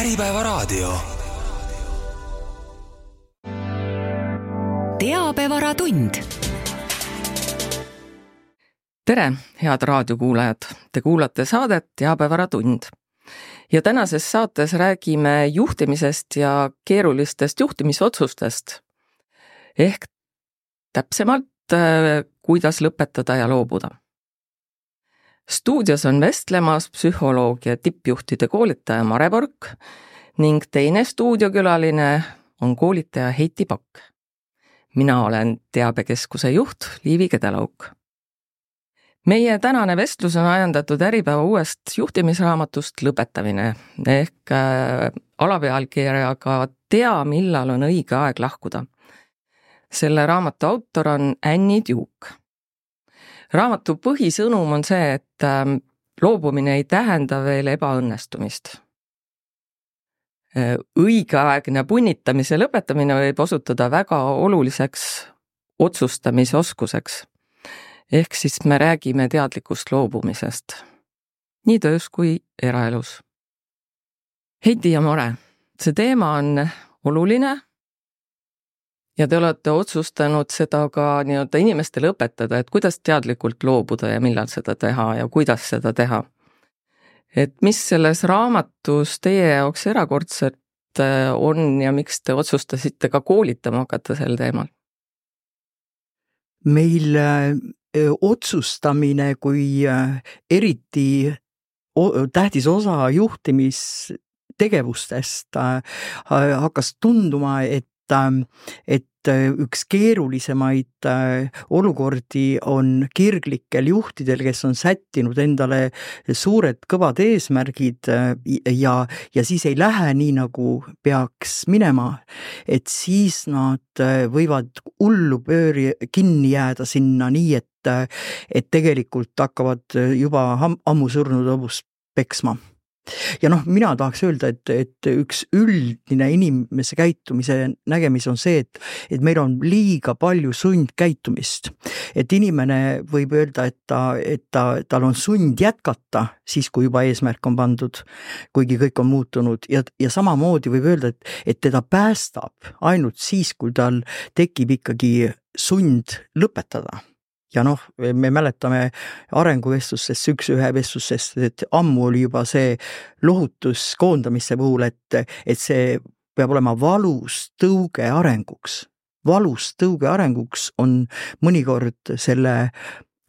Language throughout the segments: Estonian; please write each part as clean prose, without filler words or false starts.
Äripäevaraadio. Teabevaratund. Tere, head raadiokuulajad! Te kuulate saadet Teabevaratund. Ja tänases saates räägime juhtimisest ja keerulistest juhtimisotsustest. Ehk täpsemalt, kuidas lõpetada ja loobuda. Stuudios on vestlemas psühholoog ja tippjuhtide koolitaja Mare Pork ning teine stuudiokülaline on koolitaja Heiti Pakk. Mina olen Teabekeskuse juht Liivi Kedelauk. Meie tänane vestlus on ajendatud Äripäeva uuest juhtimisraamatust Lõpetamine ehk alapealkirjaga Tea, millal on õige aeg lahkuda. Selle raamatu autor on Annie Duke. Raamatu põhisõnum on see, et loobumine ei tähenda veel ebaõnnestumist. Õigeaegne punnitamise lõpetamine võib osutuda väga oluliseks otsustamisoskuseks. Ehk siis me räägime teadlikust loobumisest, nii töös kui eraelus. Heiti ja Mare, see teema on oluline ja te olete otsustanud seda ka nii-öelda inimestele õpetada, et kuidas teadlikult loobuda ja millal seda teha ja kuidas seda teha. Et mis selles raamatus teie jaoks erakordselt on ja miks te otsustasite ka koolitama hakata sel teemal? Meil otsustamine kui eriti tähtis osa juhtimistegevustest hakkas tunduma, et üks keerulisemaid olukordi on kirglikel juhtidel, kes on sättinud endale suured kõvad eesmärgid ja siis ei lähe nii, nagu peaks minema, et siis nad võivad hullu kinni jääda sinna nii, et tegelikult hakkavad juba ammu surnud hobust peksma. Ja mina tahaks öelda, et üks üldine inimese käitumise nägemis on see, et meil on liiga palju sundkäitumist. Et inimene võib öelda, et tal on sund jätkata siis, kui juba eesmärk on pandud, kuigi kõik on muutunud. Ja samamoodi võib öelda, et teda päästab ainult siis, kui tal tekib ikkagi sund lõpetada. Ja me mäletame arenguvestlustest, üks-ühe vestlustest, et ammu oli juba see lohutus koondamisse puhul, et see peab olema valus tõuge arenguks. Valus tõuge arenguks on mõnikord selle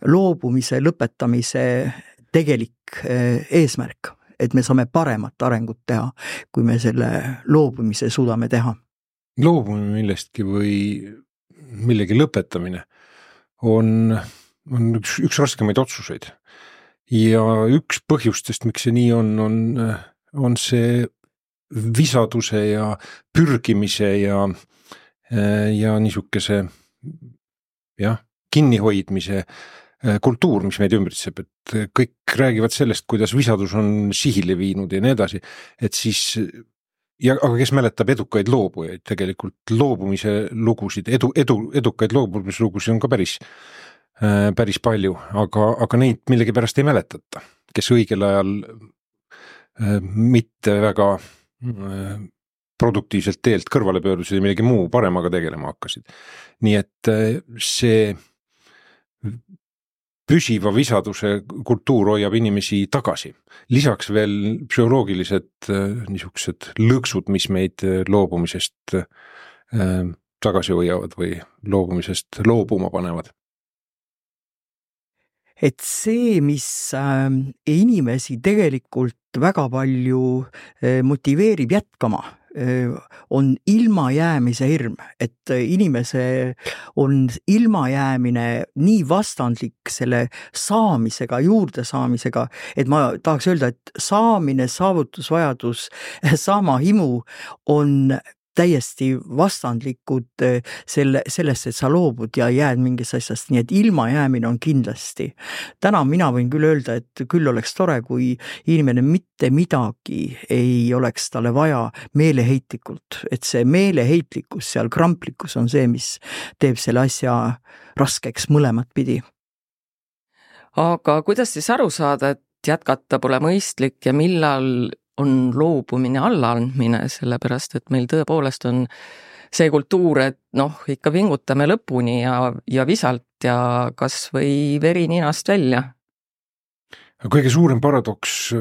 loobumise, lõpetamise tegelik eesmärk, et me saame paremat arengut teha, kui me selle loobumise suudame teha. Loobumine millestki või millegi lõpetamine on üks raskemaid otsuseid. Ja üks põhjustest, miks see nii on see visaduse ja pürgimise ja niisuguse kinnihoidmise kultuur, mis meid ümbritseb, et kõik räägivad sellest, kuidas visadus on sihile viinud ja nii edasi, et siis aga kes mäletab edukaid loobujaid, tegelikult loobumise lugusid, edukaid loobumise lugusid on ka päris palju, aga neid millegi pärast ei mäletata, kes õigel ajal mitte väga produktiivselt teelt kõrvale pöördusid ja millegi muu paremaga tegelema hakkasid. Nii et see püsiva visaduse kultuur hoiab inimesi tagasi. Lisaks veel psühholoogilised niisugused lõksud, mis meid loobumisest tagasi hoiavad või loobumisest loobuma panevad. Et see, mis inimesi tegelikult väga palju motiveerib jätkama, on ilmajäämise hirm, et inimese on ilmajäämine nii vastandlik selle saamisega, juurde saamisega, et ma tahaks öelda, et saamine, saavutusvajadus, saama himu on täiesti vastandlikud sellest, et sa loobud ja jääd mingist asjast, nii et ilmajäämine on kindlasti. Täna mina võin küll öelda, et küll oleks tore, kui inimene mitte midagi ei oleks talle vaja meeleheitlikult, et see meeleheitlikkus, seal kramplikkus on see, mis teeb selle asja raskeks mõlemat pidi. Aga kuidas siis aru saada, et jätkata pole mõistlik ja millal on loobumine allaandmine, sellepärast et meil tõepoolest on see kultuur, et ikka pingutame lõpuni ja visalt ja kas või veri ninast välja. Kõige suurem paradoks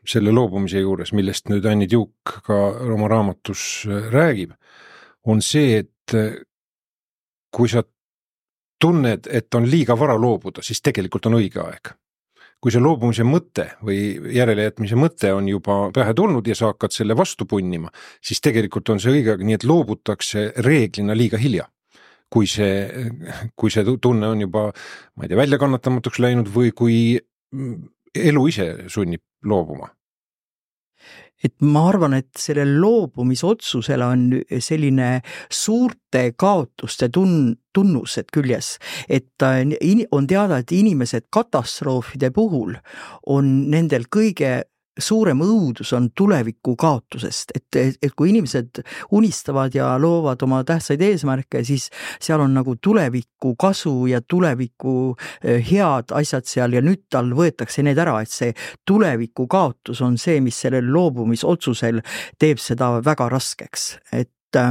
selle loobumise juures, millest nüüd Anni Tiuk ka oma raamatus räägib, on see, et kui sa tunned, et on liiga vara loobuda, siis tegelikult on õige aeg. Kui see loobumise mõte või järelejätmise mõte on juba pähe tulnud ja sa hakkad selle vastu punnima, siis tegelikult on see õige aeg, nii et loobutakse reeglina liiga hilja. Kui see tunne on juba, ma ei tea, väljakannatamatuks läinud või kui elu ise sunnib loobuma. Et ma arvan, et sellel loobumisotsusel on selline suurte kaotuste tunnused küljes, et on teada, et inimesed katastroofide puhul on nendel kõige suurem õudus on tuleviku kaotusest, et kui inimesed unistavad ja loovad oma tähtsaid eesmärke, siis seal on nagu tuleviku kasu ja tuleviku head asjad seal ja nüüd tal võetakse need ära, et see tuleviku kaotus on see, mis sellel loobumisotsusel teeb seda väga raskeks, et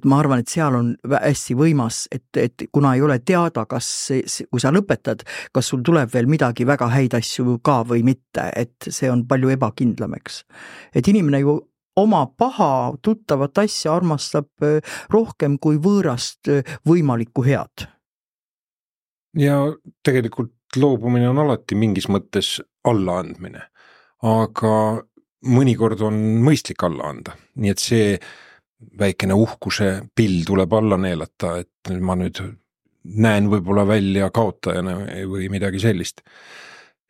ma arvan, et seal on hästi võimas, et kuna ei ole teada, kui sa lõpetad, kas sul tuleb veel midagi väga häid asju ka või mitte, et see on palju ebakindlam, eks. Et inimene ju oma paha tuttavat asja armastab rohkem kui võõrast võimalikku head. Ja tegelikult loobumine on alati mingis mõttes allaandmine, aga mõnikord on mõistlik alla anda, nii et see väikene uhkuse pill tuleb alla neelata, et ma nüüd näen võib-olla välja kaotajana või midagi sellist.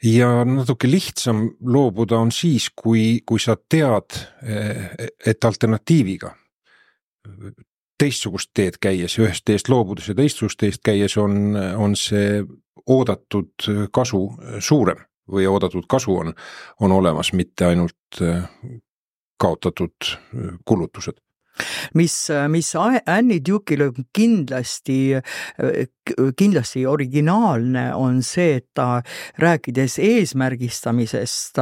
Ja natuke lihtsam loobuda on siis, kui sa tead, et alternatiiviga teistsugust teed käies, ühest teest loobudes ja teistsugust teest käies on see oodatud kasu suurem või oodatud kasu on olemas, mitte ainult kaotatud kulutused. Mis Anni Tiukil on kindlasti originaalne on see, et ta rääkides eesmärgistamisest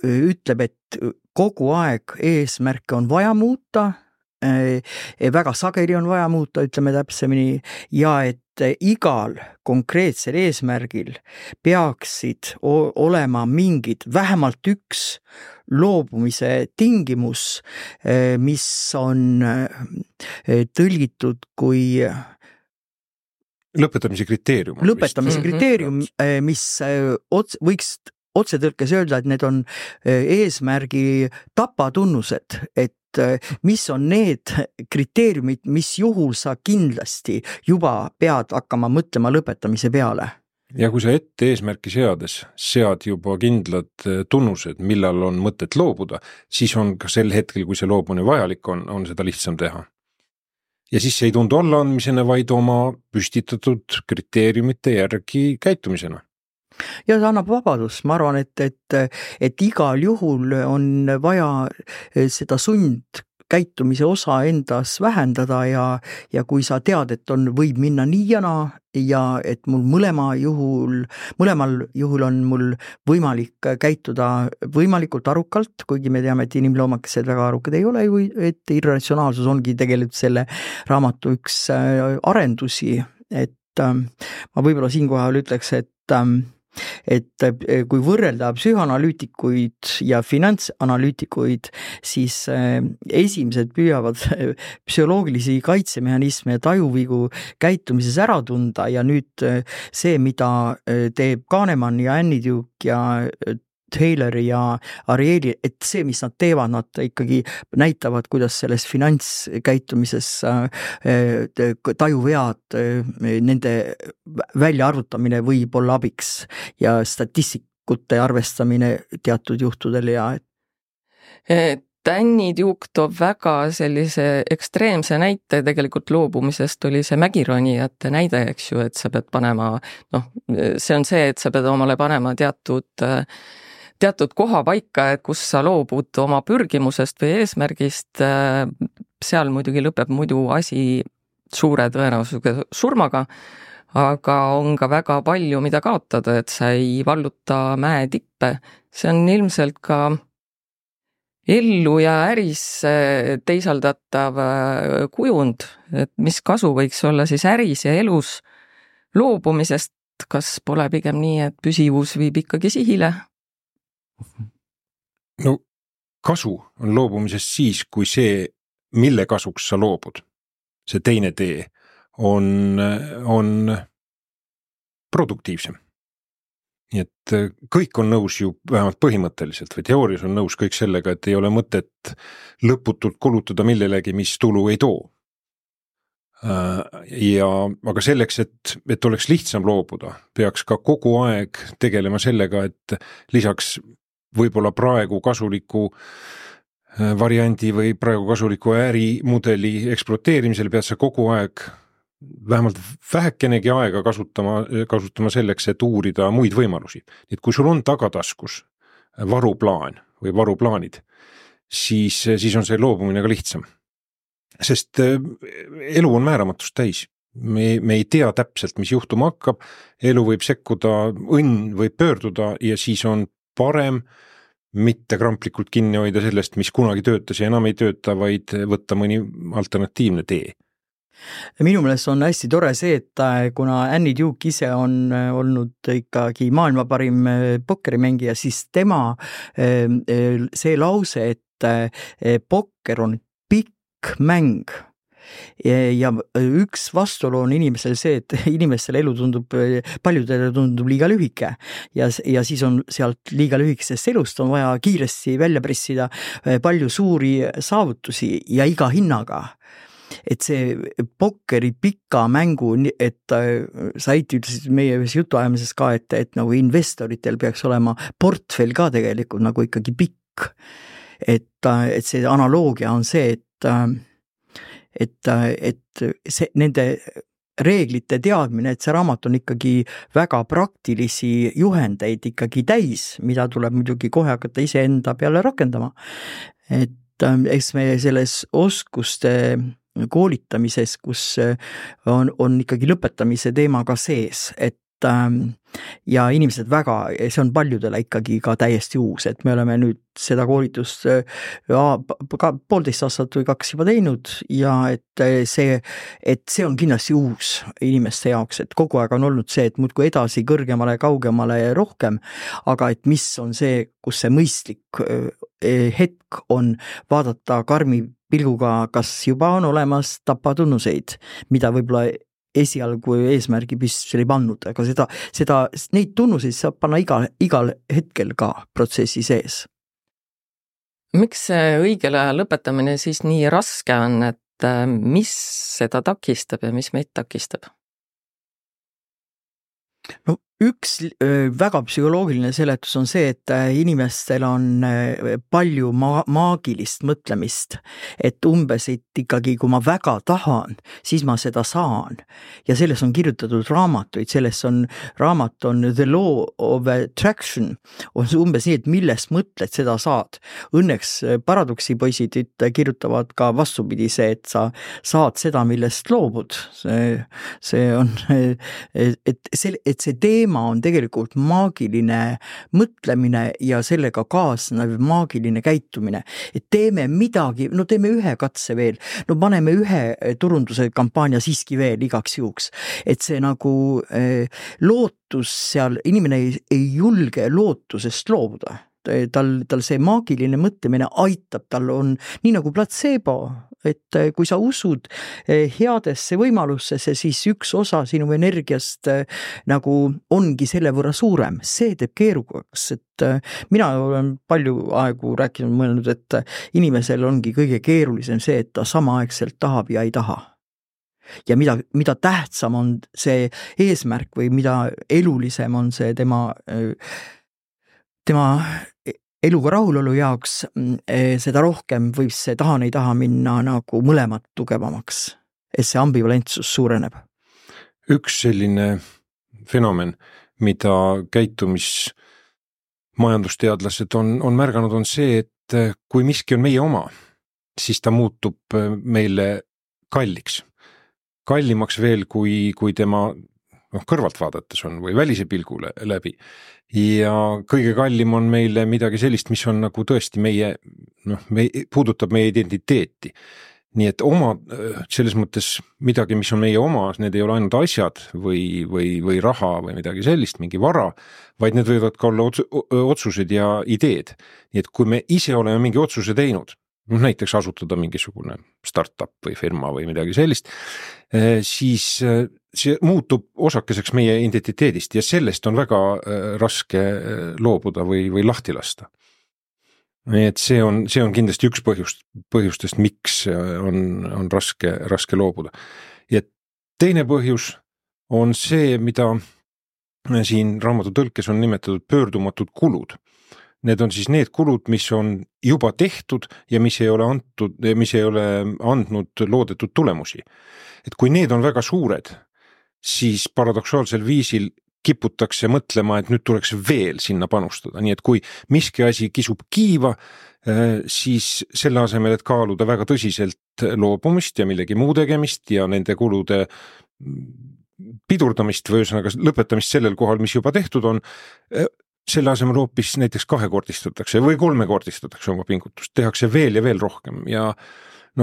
ütleb, et kogu aeg eesmärke on vaja muuta, väga sageli on vaja muuta, ütleme täpsemini, ja et igal konkreetsel eesmärgil peaksid olema mingid, vähemalt üks loobumise tingimus, mis on tõlgitud kui lõpetamise kriteerium. Lõpetamise kriteerium, mis võiks otsetõlkes öelda, et need on eesmärgi tapatunnused, et mis on need kriteeriumid, mis juhul sa kindlasti juba pead hakkama mõtlema lõpetamise peale. Ja kui sa ette eesmärki sead juba kindlad tunnused, millal on mõtet loobuda, siis on ka sel hetkel, kui see loobumine vajalik on seda lihtsam teha. Ja siis see ei tundu allaandmisena, vaid oma püstitatud kriteeriumite järgi käitumisena. Ja see annab vabadust, ma arvan, et igal juhul on vaja seda sundkäitumise osa endas vähendada ja kui sa tead, et võib minna nii ja naa ja et mul mõlemal juhul on mul võimalik käituda võimalikult arukalt, kuigi me teame, et inimloomakesed väga arukad ei ole, et irratsionaalsus ongi tegelikult selle raamatu üks arendusi, et ma võib-olla siinkohal ütleks, et kui võrrelda psühhanalüütikuid ja finantsanalüütikuid, siis esimesed püüavad psühholoogilisi kaitsemehhanisme ja tajuvigu käitumises ära tunda ja nüüd see, mida teeb Kahnemann ja Anni Tiuk ja Taylor ja Arieli, et see, mis nad teevad, nad ikkagi näitavad, kuidas selles finantskäitumises tajuvead, nende väljaarvutamine võib olla abiks ja statistikute arvestamine teatud juhtudel ja Anni Tiuk toob väga sellise ekstreemse näite tegelikult loobumisest oli see mägironijate näide, eks ju, et sa pead panema, see on see, et sa pead omale panema teatud koha paika, et kus sa loobud oma pürgimusest või eesmärgist, seal muidugi lõpeb muidu asi suure tõenäosusega surmaga, aga on ka väga palju, mida kaotada, et sa ei valluta mäe tippe. See on ilmselt ka ellu ja äris teisaldatav kujund, et mis kasu võiks olla siis äris ja elus loobumisest, kas pole pigem nii, et püsivus viib ikkagi sihile? No kasu on loobumisest siis, kui see, mille kasuks sa loobud, see teine tee on produktiivsem. Nii et kõik on nõus ju vähemalt põhimõtteliselt või teoorias on nõus kõik sellega, et ei ole mõtet lõputult kulutada millelegi, mis tulu ei too. Aga selleks, et oleks lihtsam loobuda, peaks ka kogu aeg tegelema sellega, et lisaks võib-olla praegu kasuliku variandi või praegu kasuliku ärimudeli ekspluateerimisel pead sa kogu aeg vähemalt vähekenegi aega kasutama selleks, et uurida muid võimalusi. Et kui sul on tagataskus varuplaan või varuplaanid, siis on see loobumine ka lihtsam. Sest elu on määramatust täis. Me ei tea täpselt, mis juhtuma hakkab, elu võib sekkuda, õnn võib pöörduda ja siis on parem mitte kramplikult kinni hoida sellest, mis kunagi töötas ja enam ei tööta, vaid võtta mõni alternatiivne tee. Minu meelest on hästi tore see, et kuna Annie Duke ise on olnud ikkagi maailma parim pokkerimängija, siis tema see lause, et pokker on pikk mäng ja üks vastuolu on inimesel see, et inimestel elu paljudele tundub liiga lühike ja siis on sealt liiga lühikesest elust on vaja kiiresti välja pressida palju suuri saavutusi ja iga hinnaga. Et see pokkeri pika mängu, et sa ütlesid meie jutuajamises ka, et nagu investoritel peaks olema portfell ka tegelikult nagu ikkagi pikk. Et see analoogia on see, et see, nende reeglite teadmine, et see raamat on ikkagi väga praktilisi juhendeid ikkagi täis, mida tuleb muidugi kohe hakata iseenda peale rakendama. Et eks me selles oskuste koolitamises, kus on ikkagi lõpetamise teema ka sees, et ja inimesed väga, see on paljudele ikkagi ka täiesti uus, et me oleme nüüd seda koolitust 1,5 aastat või 2 juba teinud ja et see on kindlasti uus inimeste jaoks, et kogu aeg on olnud see, et muudkui edasi kõrgemale, kaugemale ja rohkem, aga et mis on see, kus see mõistlik hetk on vaadata karmi pilguga, kas juba on olemas tapatunnuseid, mida võib-olla esialgu eesmärgi püsti ei pannud, aga neid tunnuseid saab panna igal hetkel ka protsessi sees. Miks see õigel ajal lõpetamine siis nii raske on, et mis seda takistab ja mis meid takistab? No üks väga psühholoogiline seletus on see, et inimestel on palju maagilist mõtlemist, et umbes, et ikkagi kui ma väga tahan, siis ma seda saan. Ja selles on kirjutatud raamatuid, selles on raamat on The Law of Attraction, on umbes nii, et millest mõtled, seda saad. Õnneks paradoksipoisid kirjutavad ka vastupidise, et sa saad seda, millest loobud. See on, et see teema on tegelikult maagiline mõtlemine ja sellega kaasnev maagiline käitumine. Et teeme midagi, no teeme ühe katse veel, no paneme ühe turunduse kampaania siiski veel igaks juhuks. Et see nagu lootus seal, inimene ei julge lootusest loobuda. Tal see maagiline mõtlemine aitab, tal on nii nagu placebo, et kui sa usud headesse võimalussesse, siis üks osa sinu energiast nagu ongi selle võrra suurem. See teeb keerukaks, et mina olen palju aegu rääkinud, mõelnud, et inimesel ongi kõige keerulisem see, et ta samaaegselt tahab ja ei taha. Ja mida tähtsam on see eesmärk või mida elulisem on see tema eluga rahulolu jaoks, seda rohkem võib see tahan ei taha minna nagu mõlemad tugevamaks, et see ambivalentsus suureneb. Üks selline fenomen, mida majandusteadlased on märganud, on see, et kui miski on meie oma, siis ta muutub meile kalliks. Kallimaks veel, kui tema kõrvalt vaadates on või välise pilgu läbi. Ja kõige kallim on meile midagi sellist, mis on nagu tõesti puudutab meie identiteeti. Nii et selles mõttes midagi, mis on meie oma, need ei ole ainult asjad või raha või midagi sellist, mingi vara, vaid need võivad ka olla otsused ja ideed. Nii et kui me ise oleme mingi otsuse teinud, näiteks asutada mingisugune startup või firma või midagi sellist, siis see muutub osakeseks meie identiteedist ja sellest on väga raske loobuda või lahti lasta. Nii et see on kindlasti üks põhjustest, miks on raske loobuda. Ja teine põhjus on see, mida siin raamatu tõlkes on nimetatud pöördumatud kulud. Need on siis need kulud, mis on juba tehtud ja mis ei ole andnud loodetud tulemusi. Et kui need on väga suured, siis paradoksaalsel viisil kiputakse mõtlema, et nüüd tuleks veel sinna panustada. Nii et kui miski asi kisub kiiva, siis selle asemel, et kaaluda väga tõsiselt loobumist ja millegi muu tegemist ja nende kulude pidurdamist või ühesõnaga lõpetamist sellel kohal, mis juba tehtud on, selle asemel hoopis näiteks 2-kordistatakse või 3-kordistatakse oma pingutust, tehakse veel ja veel rohkem ja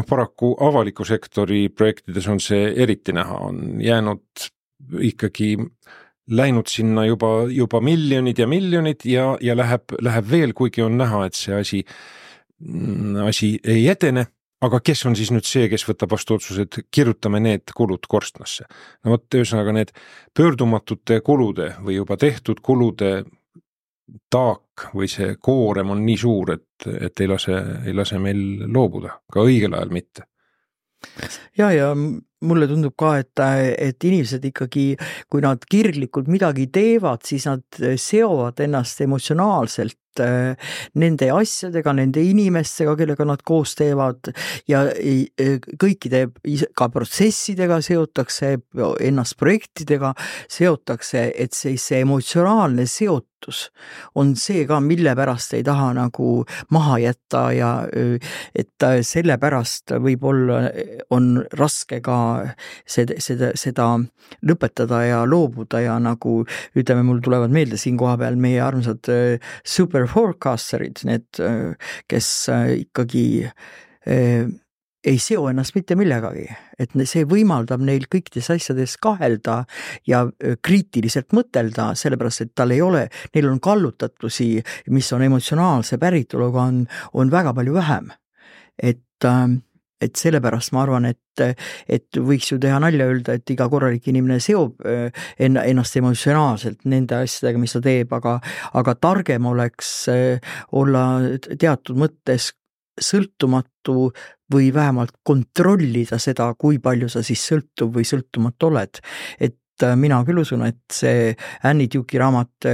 paraku avaliku sektori projektides on see eriti näha, on jäänud ikkagi läinud sinna juba miljonid ja läheb veel, kuigi on näha, et see asi ei edene, aga kes on siis nüüd see, kes võtab vastu otsused, kirjutame need kulud korstnasse. Ühesõnaga need pöördumatute kulude või juba tehtud kulude taak või see koorem on nii suur, et ei lase meil loobuda, ka õigel ajal mitte. Ja mulle tundub ka, et inimesed ikkagi, kui nad kirglikult midagi teevad, siis nad seovad ennast emotsionaalselt nende asjadega, nende inimestega, kellega nad koos teevad ja kõikide ka protsessidega seotakse, ennast projektidega seotakse, et see emotsionaalne seotus on see ka, mille pärast ei taha nagu maha jätta ja et selle pärast võib-olla on raske ka seda lõpetada ja loobuda ja nagu ütleme, mul tulevad meelde siin koha peal meie armsad super forecasterid, need, kes ikkagi ei seo ennast mitte millegagi, et see võimaldab neil kõikides asjades kahelda ja kriitiliselt mõtelda, sellepärast, et neil on kallutatusi, mis on emotsionaalse päritoluga, on väga palju vähem. Et sellepärast ma arvan, et võiks ju teha nalja öelda, et iga korralik inimene seob ennast emotsionaalselt nende asjadega, mis ta teeb, aga targem oleks olla teatud mõttes sõltumatu või vähemalt kontrollida seda, kui palju sa siis sõltuv või sõltumatu oled. Et mina küll usun, et see Annie Duke'i raamat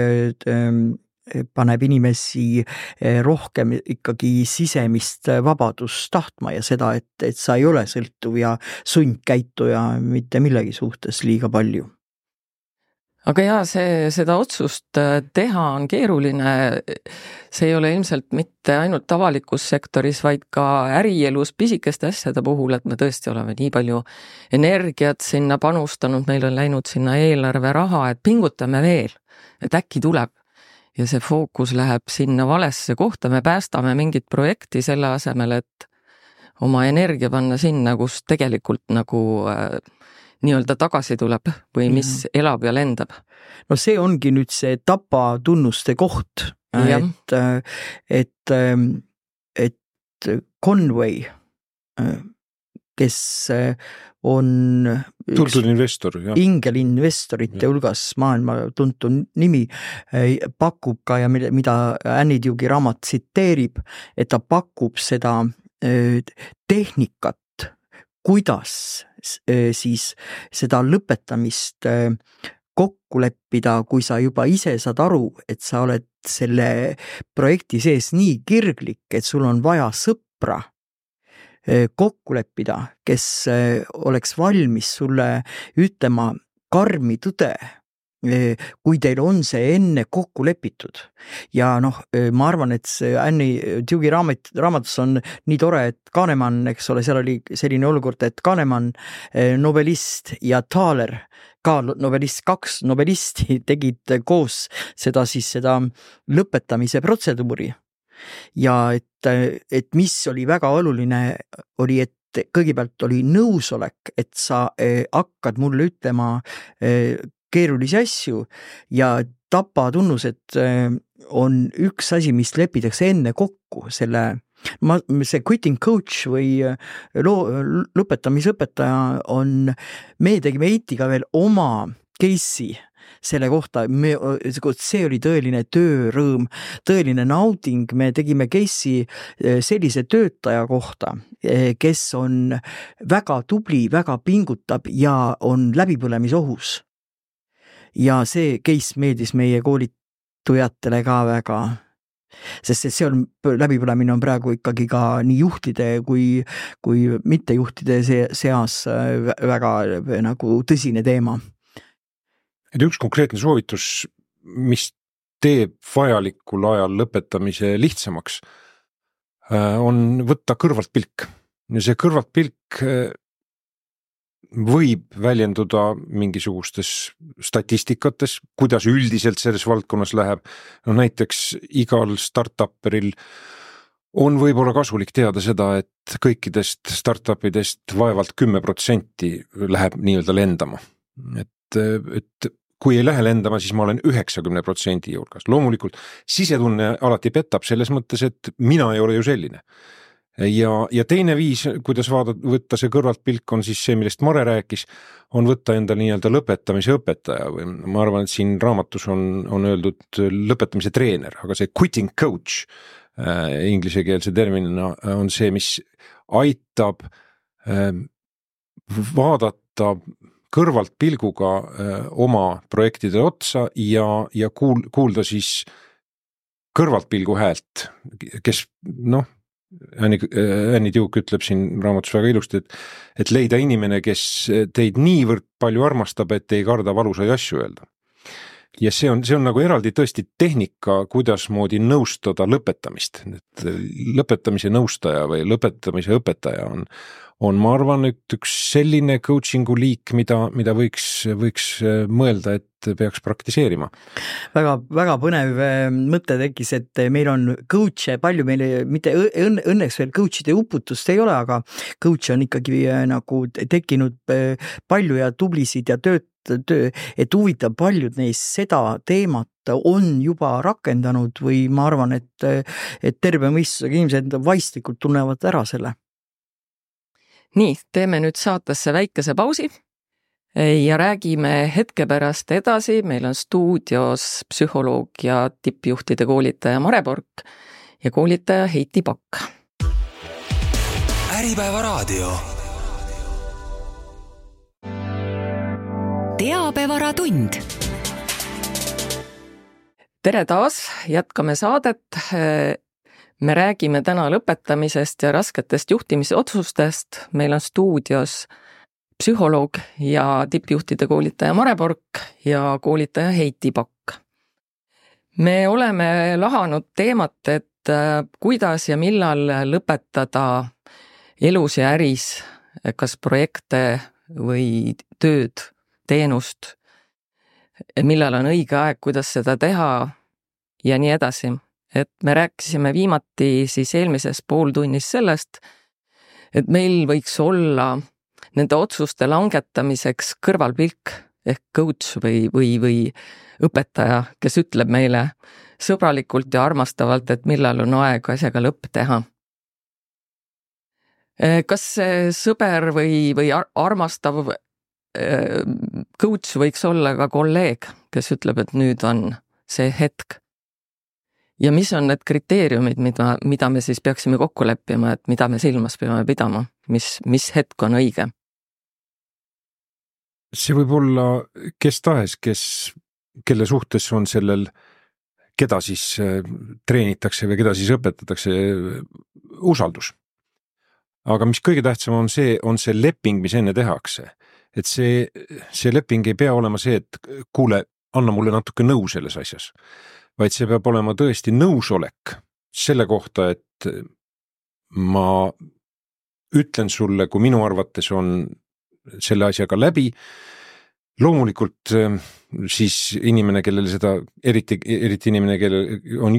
paneb inimesi rohkem ikkagi sisemist vabadust tahtma ja seda, et sa ei ole sõltuv ja sundkäituja mitte millegi suhtes liiga palju. Aga seda otsust teha on keeruline, see ei ole ilmselt mitte ainult avalikus sektoris, vaid ka ärielus pisikeste asjade puhul, et me tõesti oleme nii palju energiat sinna panustanud, meil on läinud sinna eelarve raha, et pingutame veel, et äkki tuleb. Ja see fookus läheb sinna valesse kohta, me päästame mingit projekti selle asemel, et oma energia panna sinna, kus tegelikult nagu nii-öelda tagasi tuleb või mis elab ja lendab. No see ongi nüüd see tapatunnuste koht, et Conway, kes on tuntud investor, ingelinvestorite hulgas maailma tuntud nimi, pakub ka ja mida Annie Duke'i raamat tsiteerib, et ta pakub seda tehnikat, kuidas siis seda lõpetamist kokku leppida, kui sa juba ise saad aru, et sa oled selle projekti sees nii kirglik, et sul on vaja sõpra kokku leppida, kes oleks valmis sulle ütlema karmi tõde, kui teil on see enne kokku lepitud. Ja ma arvan, et see Annie Duke'i raamatus on nii tore, et Kahneman, eks ole, seal oli selline olukord, et Kahneman, nobelist ja Thaler, ka novelist, 2 novelisti tegid koos seda lõpetamise protseduuri. Ja et mis oli väga oluline, oli, et kõigepealt oli nõusolek, et sa hakkad mulle ütlema keerulisi asju ja tapatunnused on üks asi, mis lepitakse enne kokku see quitting coach või lõpetamisõpetaja on, me tegime Heitiga veel oma case'i selle kohta, see oli tõeline töörõõm, tõeline nauding, me tegime case'i sellise töötaja kohta, kes on väga tubli, väga pingutab ja on läbipõlemisohus. Ja see case meeldis meie koolitujatele ka väga, sest see läbipõlemine on praegu ikkagi ka nii juhtide kui mittejuhtide seas väga nagu tõsine teema. Et üks konkreetne soovitus, mis teeb vajalikul ajal lõpetamise lihtsamaks, on võtta kõrvalt pilk. Ja see kõrvalt pilk võib väljenduda mingisugustes statistikates, kuidas üldiselt selles valdkonnas läheb. No näiteks igal startupperil on võib-olla kasulik teada seda, et kõikidest startupidest vaevalt 10% läheb nii-öelda lendama. Et kui ei lähe lendama, siis ma olen 90% juurgas. Loomulikult sisetunne alati petab selles mõttes, et mina ei ole ju selline. Ja teine viis, kuidas võtta see kõrvalt pilk, on siis see, millest Mare rääkis, on võtta enda nii-öelda lõpetamise õpetaja või ma arvan, et siin raamatus on öeldud lõpetamise treener, aga see quitting coach inglisekeelse terminina on see, mis aitab vaadata kõrvalt pilguga oma projektide otsa ja kuulda siis kõrvalt pilgu häält, kes Annie Duke ütleb siin raamatus väga ilusti, et leida inimene, kes teid niivõrd palju armastab, et ei karda valusaid asju öelda. Ja see on nagu eraldi tõesti tehnika, kuidas moodi nõustada lõpetamist. Lõpetamise nõustaja või lõpetamise õpetaja on ma arvan, et üks selline coachingu liik, mida võiks mõelda, et peaks praktiseerima. Väga, väga põnev mõte tekkis, et meil on coach'e palju, meile mitte õnneks veel coach'ide uputust ei ole, aga coach'e on ikkagi nagu tekkinud palju ja tublisid ja et huvitav paljud neist seda teemat on juba rakendanud või ma arvan, et terve mõistusega inimesed vaistlikult tunnevad ära selle. Nii, teeme nüüd saatesse väikese pausi ja räägime hetke pärast edasi. Meil on stuudios psühholoog ja tippjuhtide koolitaja Mare Pork ja koolitaja Heiti Pakk. Äripäeva raadio. Teabevaratund. Tere taas, jätkame saadet. Me räägime täna lõpetamisest ja rasketest juhtimisotsustest. Meil on stuudios psühholoog ja tippjuhtide koolitaja Mare Pork ja koolitaja Heiti Pakk. Me oleme lahanud teemat, et kuidas ja millal lõpetada elus ja äris, kas projekte või tööd, teenust, millal on õige aeg, kuidas seda teha ja nii edasi. Et me rääkisime viimati siis eelmises pooltunnis sellest, et meil võiks olla nende otsuste langetamiseks kõrvalpilk ehk coach või õpetaja, kes ütleb meile sõbralikult ja armastavalt, et millal on aeg asjaga lõpp teha. Kas see sõber või armastav coach võiks olla ka kolleeg, kes ütleb, et nüüd on see hetk? Ja mis on need kriteeriumid, mida me siis peaksime kokku leppima, et mida me silmas peame pidama, mis hetk on õige? See võib olla kes tahes, kelle suhtes on sellel, keda siis treenitakse või keda siis õpetatakse, usaldus. Aga mis kõige tähtsam on see leping, mis enne tehakse. Et see leping ei pea olema see, et kuule, anna mulle natuke nõu selles asjas. Vaid see peab olema tõesti nõusolek selle kohta, et ma ütlen sulle, kui minu arvates on selle asjaga läbi, loomulikult siis inimene, kellele seda, eriti inimene,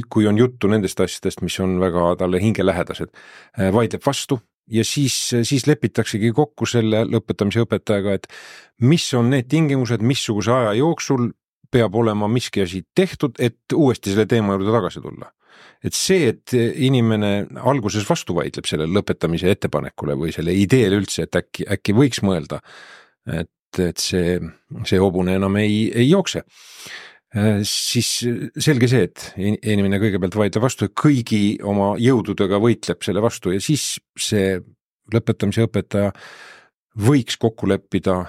kui on juttu nendest asjadest, mis on väga talle hingelähedased, vaidleb vastu ja siis lepitaksegi kokku selle lõpetamise õpetajaga, et mis on need tingimused, missuguse aja jooksul peab olema miski asi tehtud, et uuesti selle teema juurde tagasi tulla. Et see, et inimene alguses vastu vaidleb selle lõpetamise ettepanekule või selle ideele üldse, et äkki võiks mõelda, et see hobune enam ei jookse, siis selge see, et inimene kõigepealt vaidleb vastu ja kõigi oma jõududega võitleb selle vastu ja siis see lõpetamise õpetaja võiks kokku leppida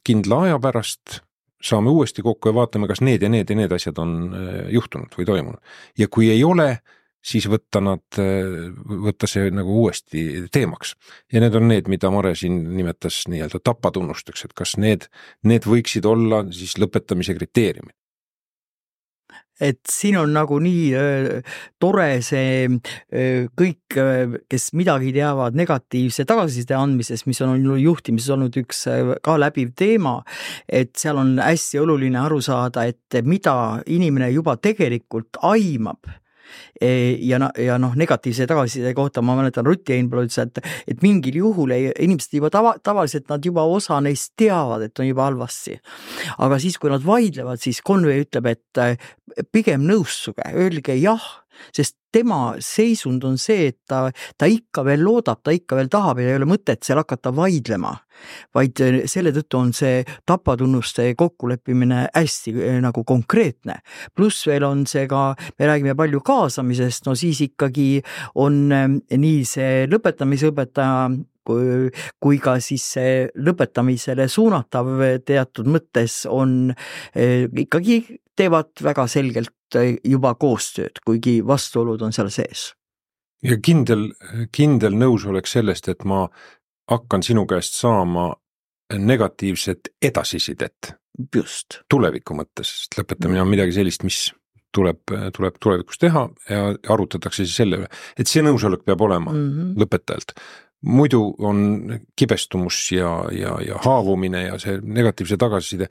kindla aja pärast, saame uuesti kokku ja vaatame, kas need ja need asjad on juhtunud või toimunud. Ja kui ei ole, siis võtta see nagu uuesti teemaks. Ja need on need, mida Mare siin nimetas nii-öelda tapatunnusteks, et kas need võiksid olla siis lõpetamise kriteeriumid. Et siin on nagu nii tore see kõik, kes midagi teavad negatiivse tagasiside andmises, mis on juhtimises olnud üks ka läbiv teema, et seal on hästi oluline aru saada, et mida inimene juba tegelikult aimab. Ja negatiivse tagasiside kohta ma mäletan Rutt Einpõld ütles, et mingil juhul inimesed juba tavaliselt nad juba osa neist teavad, et on juba halvasti. Aga siis, kui nad vaidlevad, siis Conway ütleb, et pigem nõussuge, öelge jah, sest tema seisund on see, et ta ikka veel loodab, ta ikka veel tahab ja ei ole mõtet seal hakata vaidlema, vaid selle tõttu on see tapatunnuste kokkuleppimine hästi nagu konkreetne. Pluss veel on see ka, me räägime palju kaasamisest, no siis ikkagi on nii see lõpetamisõpetaja kui ka siis see lõpetamisele suunatav teatud mõttes on ikkagi teevad väga selgelt juba koostööd, kuigi vastuolud on seal sees. Ja kindel nõusolek sellest, et ma hakkan sinu käest saama negatiivset edasisidet. Just. Tuleviku mõttes, sest lõpetamine on midagi sellist, mis tuleb tulevikus teha ja arutatakse siis selle üle, et see nõusolek peab olema lõpetajalt. Muidu on kibestumus ja haavumine ja see negatiivse tagasiside.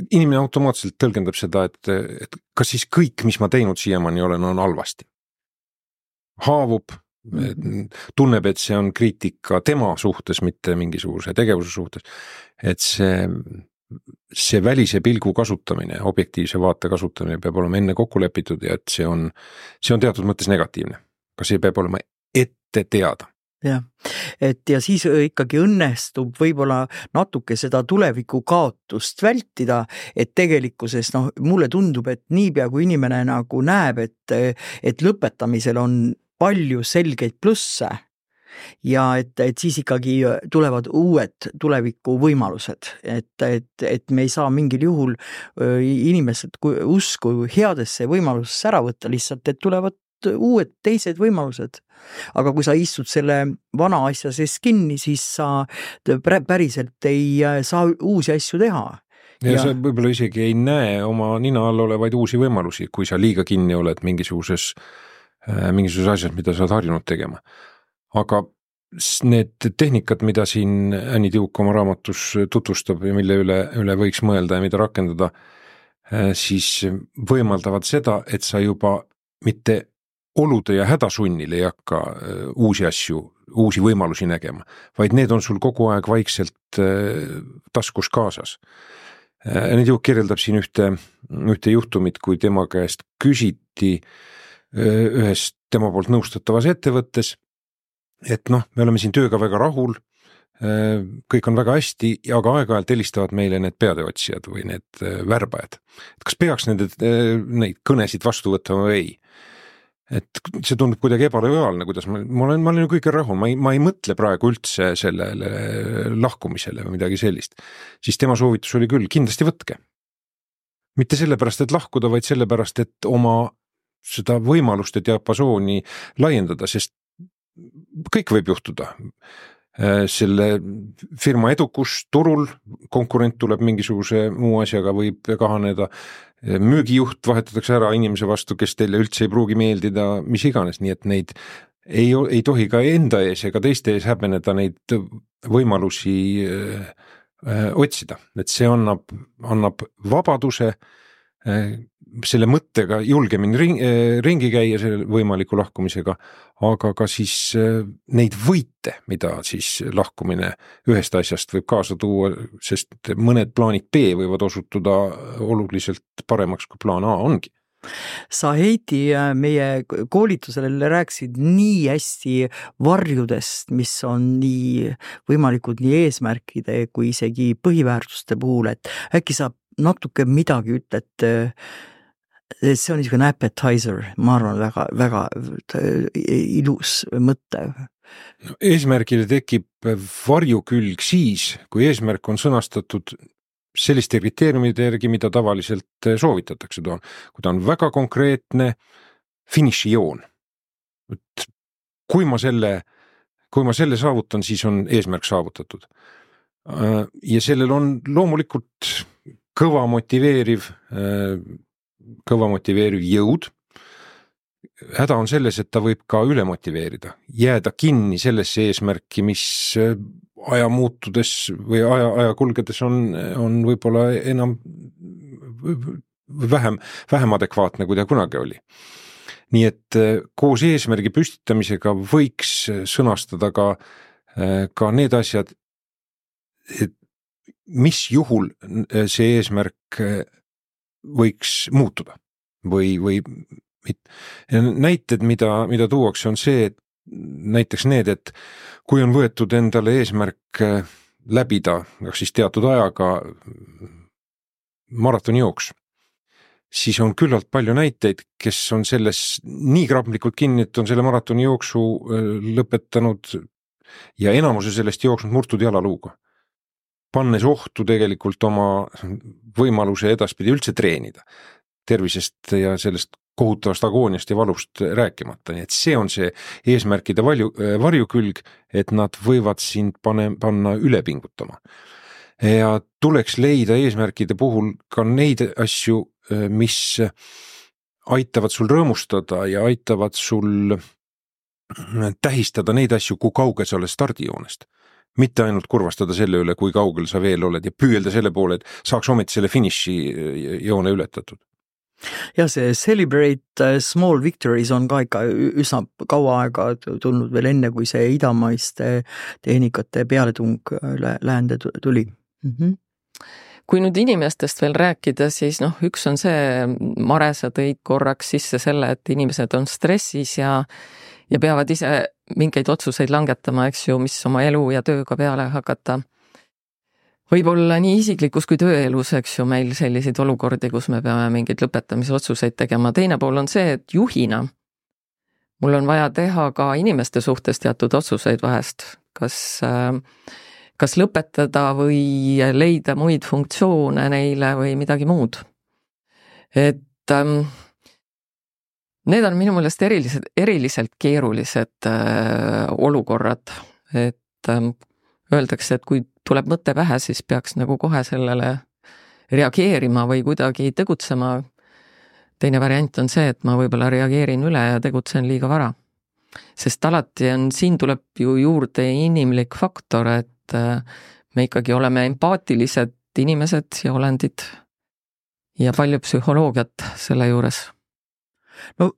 Inimene automaatselt tõlgendab seda, et kas siis kõik, mis ma teinud siiamaani olen, on halvasti. Haavub, tunneb, et see on kriitika tema suhtes, mitte mingisuguse tegevuse suhtes. Et see välise pilgu kasutamine, objektiivse vaate kasutamine peab olema enne kokku lepitud ja et see on teatud mõttes negatiivne. Ka see peab olema ette teada. Ja siis ikkagi õnnestub võib-olla natuke seda tuleviku kaotust vältida, et tegelikkuses mulle tundub, et niipea kui inimene nagu näeb, et lõpetamisel on palju selgeid plusse ja et siis ikkagi tulevad uued tuleviku võimalused, et me ei saa mingil juhul inimesed usku headesse võimalusesse ära võtta, lihtsalt et tulevad uued teised võimalused. Aga kui sa istud selle vana asja sees kinni, siis sa päriselt ei saa uusi asju teha. Ja sa võib-olla isegi ei näe oma nina all olevaid uusi võimalusi, kui sa liiga kinni oled mingisuguses asjas, mida sa oled harjunud tegema. Aga need tehnikad, mida siin Anni Tiuk oma raamatus tutvustab ja mille üle võiks mõelda ja mida rakendada, siis võimaldavad seda, et sa juba mitte olude ja hädasunnil ei hakka uusi võimalusi nägema, vaid need on sul kogu aeg vaikselt taskus kaasas. Anni Tiuk kirjeldab siin ühte juhtumit, kui tema käest küsiti ühes tema poolt nõustatavas ettevõttes, et me oleme siin tööga väga rahul, kõik on väga hästi, aga aeg-ajalt helistavad meile need peateotsijad või need värbajad. Et kas peaks neid kõnesid vastu võtma või ei? Et see tundub kuidagi ebalojaalne, kuidas ma olen ju kõige rahul, ma ei mõtle praegu üldse sellele lahkumisele või midagi sellist. Siis tema soovitus oli küll, kindlasti võtke. Mitte sellepärast, et lahkuda, vaid sellepärast, et oma seda võimaluste diapasooni laiendada, sest kõik võib juhtuda. Selle firma edukus turul, konkurent tuleb mingisuguse muu asjaga, võib kahaneda, müügijuht vahetatakse ära inimese vastu, kes teile üldse ei pruugi meeldida, mis iganes, nii et neid ei tohi ka enda ees ega teiste ees häbeneda neid võimalusi otsida, et see annab vabaduse selle mõttega julgemini ringi käia selle võimaliku lahkumisega, aga ka siis neid võite, mida siis lahkumine ühest asjast võib kaasa tuua, sest mõned plaanid B võivad osutuda oluliselt paremaks, kui plaan A ongi. Sa Heidi meie koolitusel rääkisid nii hästi varjudest, mis on nii võimalikud nii eesmärkide kui isegi põhiväärtuste puhul, et äkki sa natuke midagi ütled, see on niisugune appetizer, ma arvan, väga, väga ilus mõte. Eesmärgile tekib varjukülg siis, kui eesmärk on sõnastatud selliste kriteeriumide järgi, mida tavaliselt soovitatakse. Kui ta on väga konkreetne finišijoon. Kui ma selle saavutan, siis on eesmärk saavutatud. Ja sellel on loomulikult kõva motiveeriv jõud. Häda on selles, et ta võib ka üle motiveerida, jääda kinni sellesse eesmärki, mis aja muutudes või aja kulgedes on võib-olla enam vähem adekvaatne, kui ta kunagi oli. Nii et koos eesmärgi püstitamisega võiks sõnastada ka need asjad, et mis juhul see eesmärk võiks muutuda või näited, mida tuuakse, on see, et näiteks need, et kui on võetud endale eesmärk läbida siis teatud ajaga maratonijooks, siis on küllalt palju näiteid, kes on selles nii krapplikult kinni, et on selle maratonijooksu lõpetanud ja enamuse sellest jooksnud murtud jalaluuga, pannes ohtu tegelikult oma võimaluse edaspidi üldse treenida, tervisest ja sellest kohutavast agooniast ja valust rääkimata. Nii et see on see eesmärkide varjukülg, et nad võivad sind panna üle pingutama. Ja tuleks leida eesmärkide puhul ka neid asju, mis aitavad sul rõõmustada ja aitavad sul tähistada neid asju, kui kaugel sa oled stardijoonest. Mitte ainult kurvastada selle üle, kui kaugel sa veel oled ja püüelda selle poole, et saaks ometi selle finiši joone ületatud. Ja see Celebrate Small Victories on ka ikka üsna kaua aega tulnud veel enne, kui see idamaiste tehnikate pealetung läände tuli. Kui nüüd inimestest veel rääkida, siis üks on see, Mare, sa tõid korraks sisse selle, et inimesed on stressis ja peavad ise mingeid otsuseid langetama, eks ju, mis oma elu ja tööga peale hakata. Võib-olla nii isiklikus kui tööelus, eks ju, meil selliseid olukordi, kus me peame mingeid lõpetamise otsuseid tegema. Teine pool on see, et juhina mul on vaja teha ka inimeste suhtes teatud otsuseid vahest, kas lõpetada või leida muid funktsioone neile või midagi muud. Et need on minu meelest eriliselt keerulised olukorrad, et öeldakse, et kui tuleb mõte pähe, siis peaks nagu kohe sellele reageerima või kuidagi tegutsema. Teine variant on see, et ma võib-olla reageerin üle ja tegutsen liiga vara. Sest alati siin tuleb ju juurde inimlik faktor, et me ikkagi oleme empaatilised inimesed ja olendid ja palju psühholoogiat selle juures. No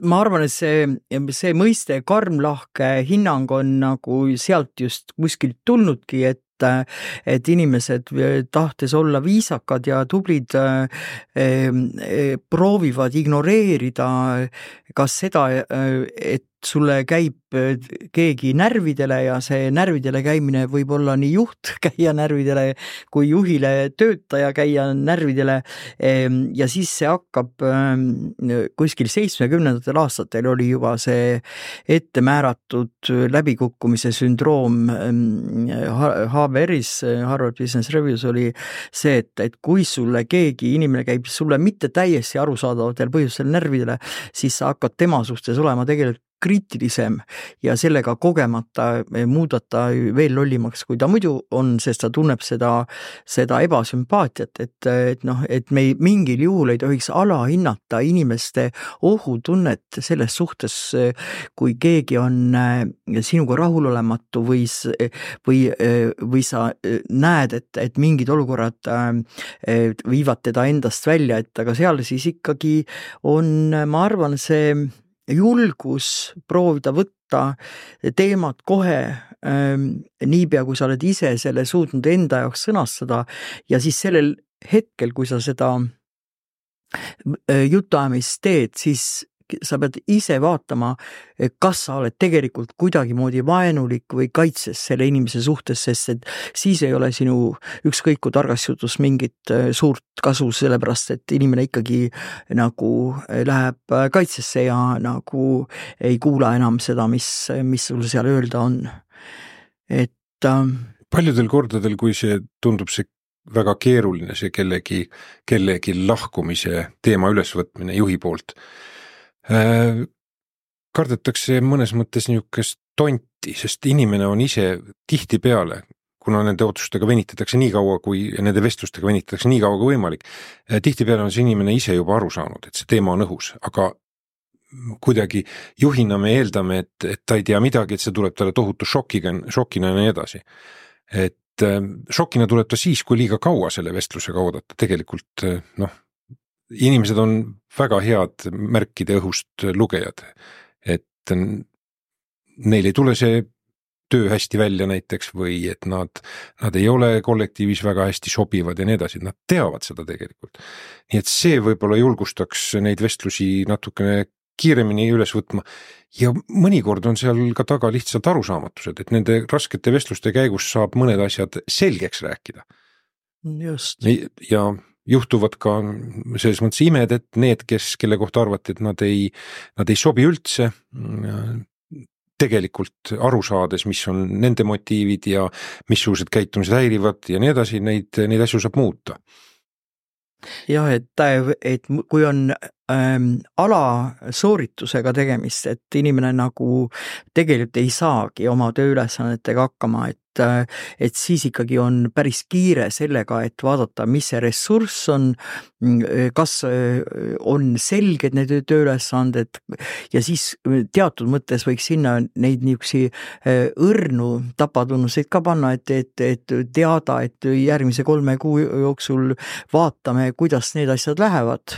ma arvan, et see mõiste karmlahke hinnang on nagu sealt just kuskilt tulnudki, et inimesed tahtes olla viisakad ja tublid proovivad ignoreerida kas seda, et sulle käib keegi närvidele ja see närvidele käimine võib olla nii juht käia närvidele kui juhile töötaja käia närvidele ja siis see hakkab kuskil 70. aastatel oli juba see ette määratud läbikukkumise sündroom HBR-is, Harvard Business Reviews oli see, et kui sulle keegi inimene käib sulle mitte täiesti arusaadavatel põhjustel närvidele, siis sa hakkad tema suhtes olema tegelikult kriitilisem ja sellega kogemata muudata veel lollimaks, kui ta muidu on, sest ta tunneb seda ebasümpaatiat, et me mingil juhul ei tohiks alahinnata inimeste ohutunnet selles suhtes, kui keegi on sinuga rahulolematu või sa näed, et mingid olukorrad viivad teda endast välja, et aga seal siis ikkagi on, ma arvan, see julgus proovida võtta teemat kohe niipea, kui sa oled ise selle suutnud enda jaoks sõnastada ja siis sellel hetkel, kui sa seda jutuajamist teed, siis sa pead ise vaatama, kas sa oled tegelikult kuidagimoodi vaenulik või kaitses selle inimese suhtes, sest et siis ei ole sinu ükskõik kui targast jutust mingit suurt kasu, sellepärast et inimene ikkagi nagu läheb kaitsesse ja nagu ei kuula enam seda, mis sul seal öelda on. Paljudel kordadel, kui see tundub see väga keeruline, see kellegi lahkumise teema ülesvõtmine juhi poolt, kardetakse mõnes mõttes niisugust tonti, sest inimene on ise tihtipeale, kuna nende otsustega venitatakse nii kaua nende vestlustega venitatakse nii kaua kui võimalik, tihtipeale on see inimene ise juba aru saanud, et see teema on õhus, aga kuidagi juhina me eeldame, et ta ei tea midagi, et see tuleb talle tohutu šokina ja nii edasi. Et šokina tuleb ta siis, kui liiga kaua selle vestlusega oodata, tegelikult inimesed on väga head märkide õhust lugejad, et neil ei tule see töö hästi välja näiteks või et nad ei ole kollektiivis väga hästi sobivad ja nii edasi, nad teavad seda tegelikult. Nii et see võib-olla julgustaks neid vestlusi natukene kiiremini üles võtma ja mõnikord on seal ka taga lihtsalt arusaamatused, et nende raskete vestluste käigus saab mõned asjad selgeks rääkida. Just. Ja juhtuvad ka selles mõttes imed, et need, kelle kohta arvati, et nad ei sobi üldse, tegelikult aru saades, mis on nende motiivid ja missugused käitumised häirivad ja nii edasi, neid asju saab muuta. Jah, et kui on alasooritusega tegemist, et inimene nagu tegelikult ei saagi oma tööülesannetega hakkama, et siis ikkagi on päris kiire sellega, et vaadata, mis see ressurss on, kas on selged need tööülesanded ja siis teatud mõttes võiks sinna neid niisugusi õrnu tapatunnuseid ka panna, et teada, et järgmise 3 kuu jooksul vaatame, kuidas need asjad lähevad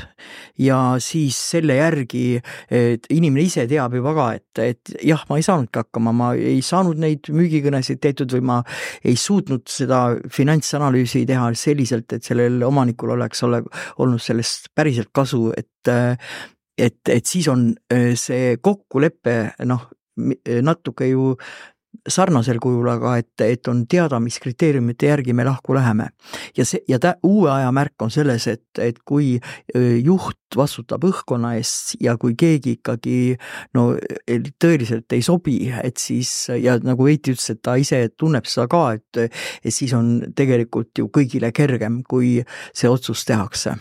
ja siis selle järgi, et inimene ise teab juba ka, et jah, ma ei saanudki hakkama, ma ei saanud neid müügikõnesid tehtud või ma ei suutnud seda finantsanalüüsi teha selliselt, et sellel omanikul oleks olnud sellest päriselt kasu, et siis on see kokkulepe natuke ju sarnasel kujul, aga et on teada, mis kriteeriumite järgi me lahku läheme. Ja uue aja märk on selles, et kui juht vastutab õhkkonna eest ja kui keegi ikkagi tõeliselt ei sobi, et siis, ja nagu Veiti ütles, et ta ise tunneb seda ka, et siis on tegelikult ju kõigile kergem, kui see otsus tehakse.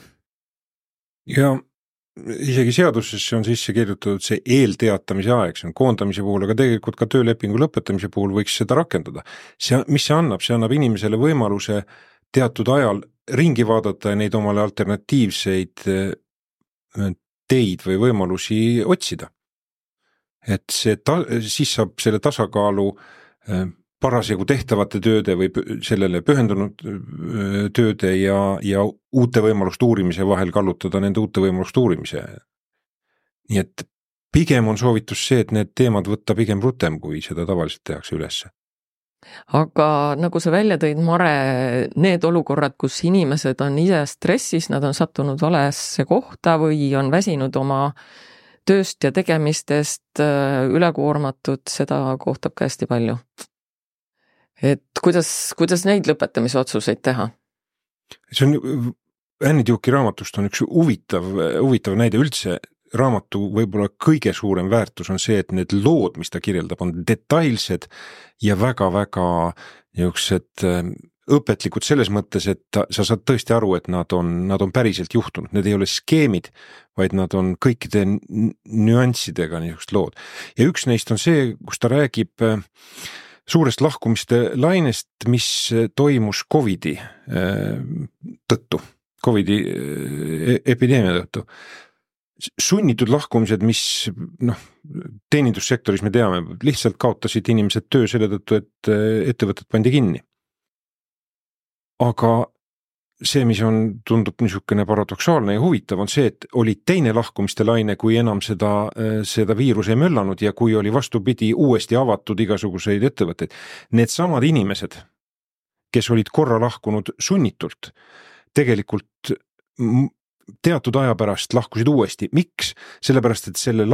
Ja isegi seadusesse on sisse kirjutatud see eelteatamise aeg, see on koondamise puhul, aga tegelikult ka töölepingu lõpetamise puhul võiks seda rakendada. Mis see annab? See annab inimesele võimaluse teatud ajal ringi vaadata ja neid omale alternatiivseid teid või võimalusi otsida. Et siis saab selle tasakaalu parasjagu tehtavate tööde või sellele pühendunud tööde ja uute võimaluste uurimise vahel kallutada nende uute võimaluste uurimise. Nii et pigem on soovitus see, et need teemad võtta pigem rutem, kui seda tavaliselt tehakse ülesse. Aga nagu sa välja tõid, Mare, need olukorrad, kus inimesed on ise stressis, nad on sattunud valesse kohta või on väsinud oma tööst ja tegemistest ülekoormatud, seda kohtab ka hästi palju. Et kuidas neid lõpetamise otsuseid teha? See on Annie Duke'i raamatust on üks huvitav näide üldse. Raamatu võib-olla kõige suurem väärtus on see, et need lood, mis ta kirjeldab, on detailsed ja väga-väga niisugused õpetlikud selles mõttes, et sa saad tõesti aru, et nad on päriselt juhtunud, need ei ole skeemid, vaid nad on kõikide nüanssidega niisugust lood. Ja üks neist on see, kus ta räägib suurest lahkumiste lainest, mis toimus COVID-i tõttu, COVID-i epideemia tõttu. Sunnitud lahkumised, mis teenindussektoris me teame, lihtsalt kaotasid inimesed töö selle tõttu, et ettevõtted pandi kinni. Aga see, mis tundub niisugune paradoksaalne ja huvitav, on see, et oli teine lahkumiste laine, kui enam seda viirus ei möllanud ja kui oli vastupidi uuesti avatud igasuguseid ettevõtteid. Need samad inimesed, kes olid korra lahkunud sunnitult, tegelikult teatud aja pärast lahkusid uuesti. Miks? Sellepärast, et selle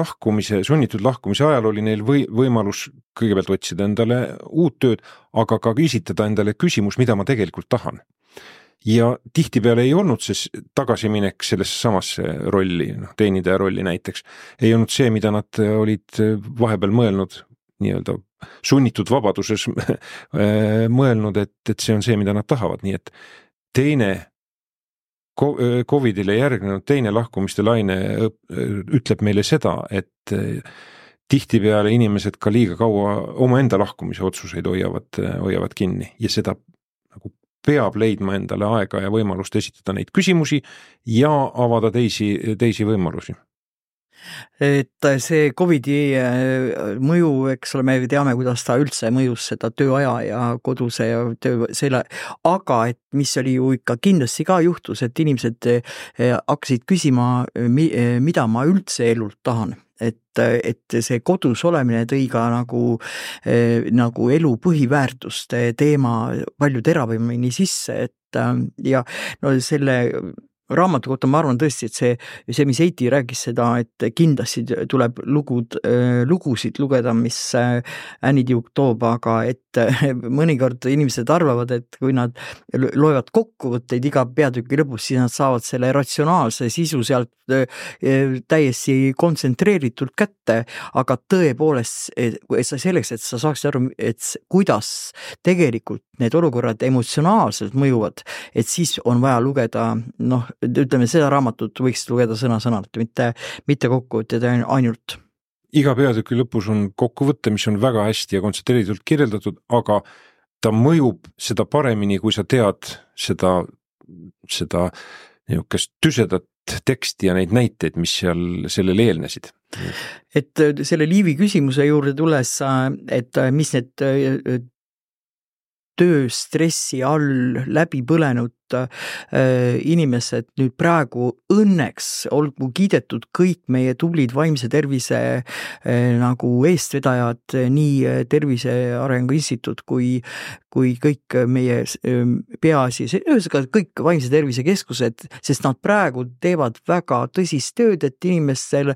sunnitud lahkumise ajal oli neil võimalus kõigepealt otsida endale uut tööd, aga ka esitada endale küsimus, mida ma tegelikult tahan. Ja tihtipeale ei olnud see tagasiminek sellesse samasse rolli, teenidaja rolli näiteks, ei olnud see, mida nad olid vahepeal mõelnud, nii-öelda sunnitud vabaduses mõelnud, et see on see, mida nad tahavad. Nii et teine COVID-ile järgnenud teine lahkumiste laine ütleb meile seda, et tihtipeale inimesed ka liiga kaua oma enda lahkumise otsuseid hoiavad kinni ja seda nagu peab leidma endale aega ja võimalust esitada neid küsimusi ja avada teisi võimalusi. Et see COVID-i mõju, eks ole, me teame, kuidas ta üldse mõjus seda tööaja ja koduse ja töö selle, aga et mis oli ju ikka kindlasti ka juhtus, et inimesed hakkasid küsima, mida ma üldse elult tahan. Et see kodus olemine tõi ka nagu elu põhiväärtuste teema palju teravamini sisse, et ja selle raamatu kohta ma arvan tõesti, et see, mis Heiti rääkis seda, et kindlasti tuleb lugusid lugeda, mis Annie Duke toob, aga et mõnikord inimesed arvavad, et kui nad loevad kokkuvõtteid iga peatüki lõpus, siis nad saavad selle ratsionaalse sisu sealt täiesti kontsentreeritult kätte, aga tõepoolest selleks, et sa saaksid aru, et kuidas tegelikult need olukorrad emotsionaalselt mõjuvad, et siis on vaja lugeda, ütleme, seda raamatut võiks lugeda sõna-sõnalt, mitte kokkuvõtted ainult. Iga peatüki lõpus on kokkuvõte, mis on väga hästi ja kontsentreeritult kirjeldatud, aga ta mõjub seda paremini, kui sa tead seda niisugust tüsedat teksti ja neid näiteid, mis sellele eelnesid. Et selle Liivi küsimuse juurde tulles, et mis need tööstressi all läbi põlenud inimesed nüüd praegu õnneks olgu kiidetud kõik meie tublid vaimse tervise nagu eestvedajad, nii Tervise Arengu Instituut kui kõik meie peaasi, kõik vaimse tervise keskused, sest nad praegu teevad väga tõsist tööd, et inimestel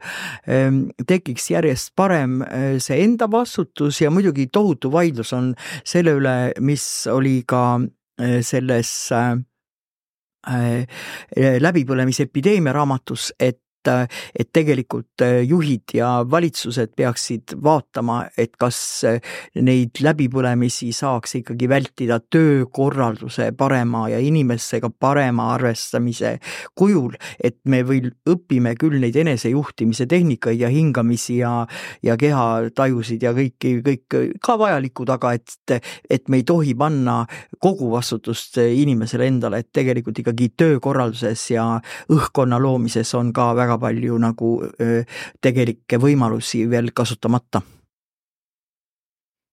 tekiks järjest parem see enda vastutus ja muidugi tohutu vaidlus on selle üle, mis oli ka selles läbipõlemise epideemia raamatus, et tegelikult juhid ja valitsused peaksid vaatama, et kas neid läbipõlemisi saaks ikkagi vältida töökorralduse parema ja inimestega parema arvestamise kujul, et me õpime küll neid enesejuhtimise tehnikaid ja hingamisi ja kehatajusid ja kõik ka vajalikud, aga et me ei tohi panna kogu vastutust inimesele endale, et tegelikult ikkagi töökorralduses ja õhkkonna loomises on ka väga palju nagu tegelikke võimalusi veel kasutamata.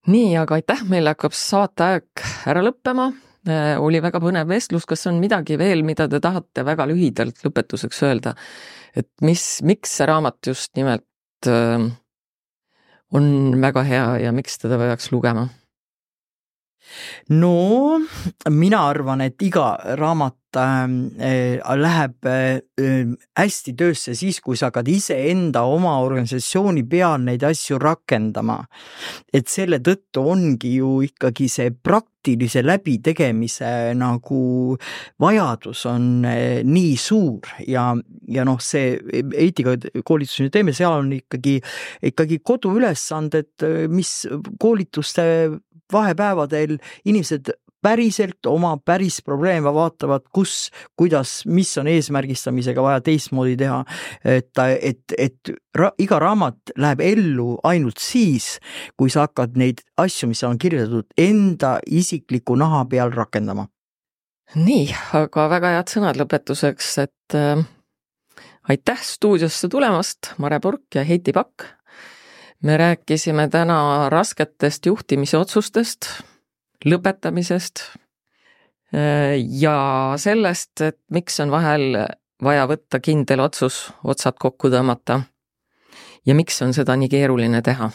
Nii, aga aitäh, meil hakkab saateaeg ära lõppema. Oli väga põnev vestlus, kas on midagi veel, mida te tahate väga lühidalt lõpetuseks öelda, et miks see raamat just nimelt on väga hea ja miks teda peaks lugema? No, mina arvan, et iga raamat läheb hästi töösse siis, kui sa hakkad ise enda oma organisatsiooni peal neid asju rakendama. Et selle tõttu ongi ju ikkagi see praktilise läbitegemise nagu vajadus on nii suur ja see eetikakoolitus teeme, seal on ikkagi koduülesanded, mis koolituste vahepäevadel inimesed päriselt oma päris probleeme, vaatavad, kuidas, mis on eesmärgistamisega vaja teistmoodi teha, et iga raamat läheb ellu ainult siis, kui sa hakkad neid asju, mis on kirjeldatud, enda isikliku naha peal rakendama. Nii, aga väga head sõnad lõpetuseks, et aitäh stuudiosse tulemast, Mare Purk ja Heiti Pakk. Me rääkisime täna rasketest juhtimise otsustest, lõpetamisest ja sellest, et miks on vahel vaja võtta kindel otsus, otsad kokku tõmmata ja miks on seda nii keeruline teha.